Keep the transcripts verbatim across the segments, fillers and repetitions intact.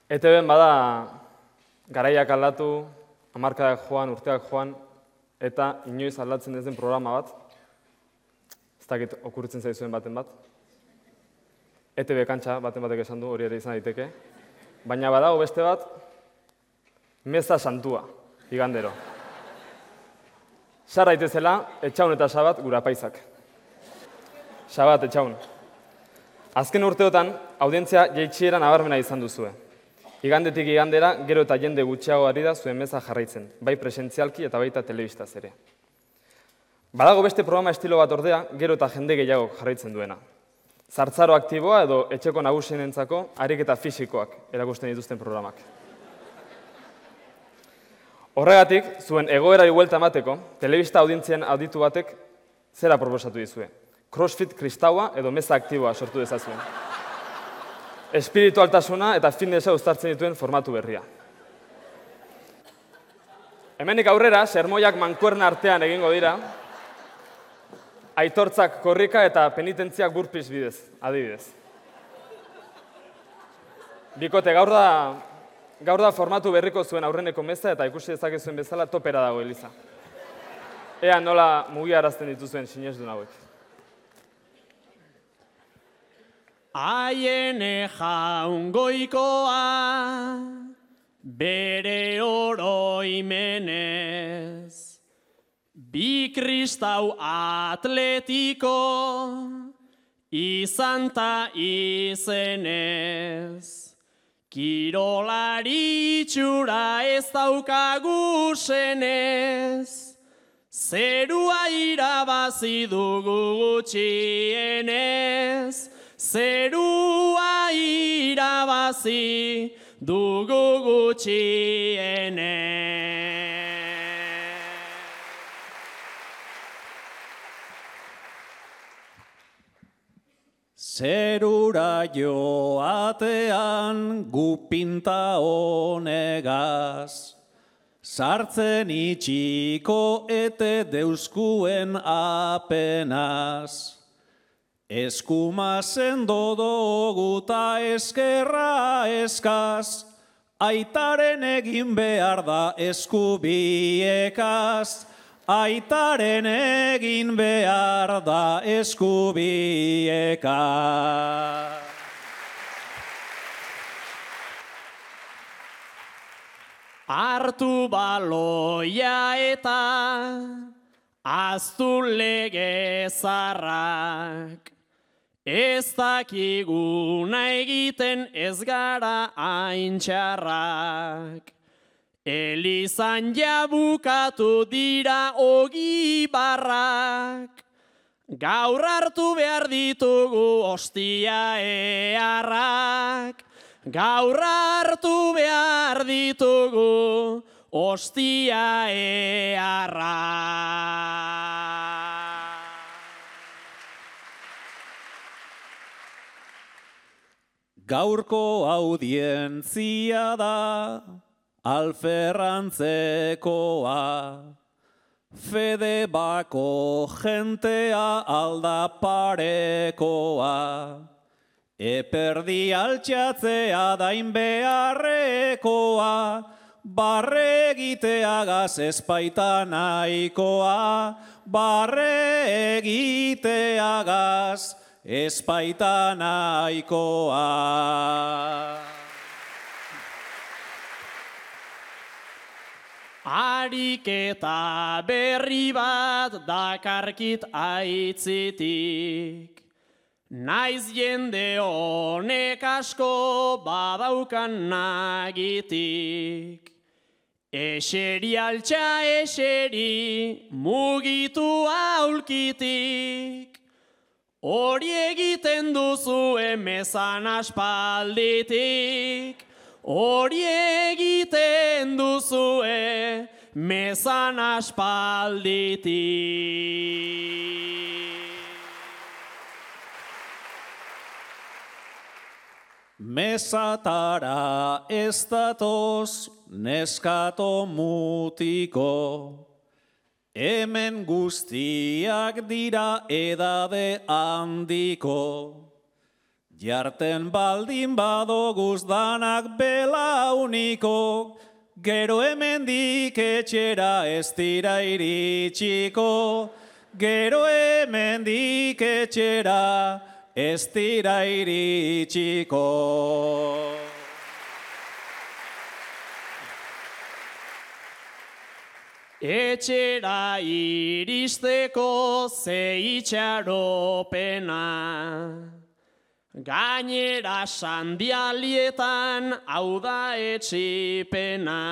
E Te Bn bada garaiak aldatu, hamarkadak joan, urteak joan, eta inoiz aldatzen ez den programa bat, ez dakit okurritzen zaizuen baten bat, E Te Be kantxa baten batek esan du, hori ere izan daiteke, baina badago beste bat, meza santua, igandero. Sar daitezela, etxaun eta sabat gura apaizak. Sabat, etxaun. Azken urteotan, audientzia jaitsiera nabarmena izan duzue. Igandetik igandera, gero eta jende gutxiago ari da zuen meza jarraitzen, bai presentzialki eta baita telebistaz ere. Badago beste programa estilo bat ordea, gero eta jende gehiago jarraitzen duena. Zartzaro aktiboa edo etxeko nagusienentzako ariketa fisikoak erakusten dituzten programak. Horregatik, zuen egoerari buelta emateko, telebista audientzien auditu batek zera proposatu dizue. Crossfit kristaua edo meza aktiboa sortu dezazuen. Espiritualtasuna eta fitnessa uztartzen dituen formatu berria. Hemenik aurrera, sermoiak mankuerna artean egingo dira, aitortzak korrika eta penitentziak burpis bidez, adibidez. Bikote, gaur da, gaur da formatu berriko zuen aurreneko meza eta ikusi dezakezuen bezala topera dago Eliza. Ea nola mugiarazten dituzuen sinesdun hauek. Aiene jaungoikoa, bere oroimenez, bi kristau atletiko, izan ta izenez. Kirolari itxura ez daukagu senez, zerua irabazi dugu gutxienez, zerua irabazi dugu gutxienez. Zerura joatean gu pinta honegaz, sartzen itxiko ete deuskuen apenaz. Eskuma sendo dugu ta eskerra eskaz, aitaren egin behar da eskubiekaz, aitaren egin behar da eskubiekaz. Hartu baloia eta aztu lege zarrak, ez dakiguna egiten ez gara aintxarrak. Elizan jabukatu dira ogi barrak, gaur hartu behar ditugu ostia eharrak. Gaur hartu behar ditugu ostia eharrak. Gaurko audientzia da alferrantzekoa, fede bako jentea aldaparekoa, eperdi altxatzea dain beharrekoa, barre egiteagaz espaita nahikoa, barre egiteagaz espaita nahikoa. Ariketa berri bat dakarkit aitzitik, naiz jende honek asko badaukan nagitik. Eseri altxa eseri mugitu aulkitik, hori egiten duzu emezan aspalditik. Hori egiten duzue mezan aspalditik. Mezatara ez datoz neskato mutiko, hemen guztiak dira edade handiko. Jarten baldin badoguz danak belauniko, gero hemendik etxera ez dira iritsiko, gero hemendik etxera ez dira iritsiko. Etxera iristeko ze itxaropena, gainera sandialietan hau da etxipena.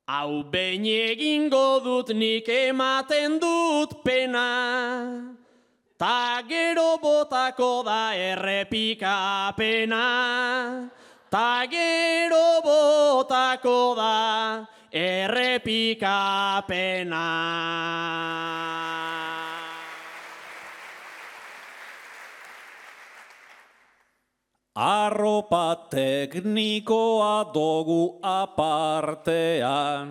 Hau behin egingo dut nik ematen dut pena, ta gero botako da errepikapena, ta gero botako da errepikapena. Arropa teknikoa dogu apartean,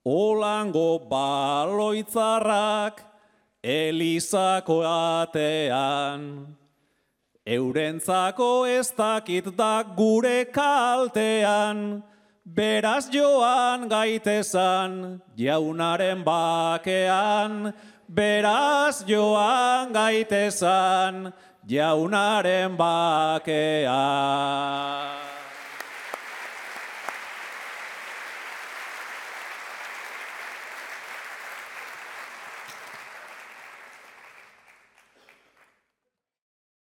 olango baloitzarrak elizako atean. Eurentzako ez dakit da gure kaltean, beraz joan gaitezan jaunaren bakean, beraz joan gaitezan jaunaren bakean.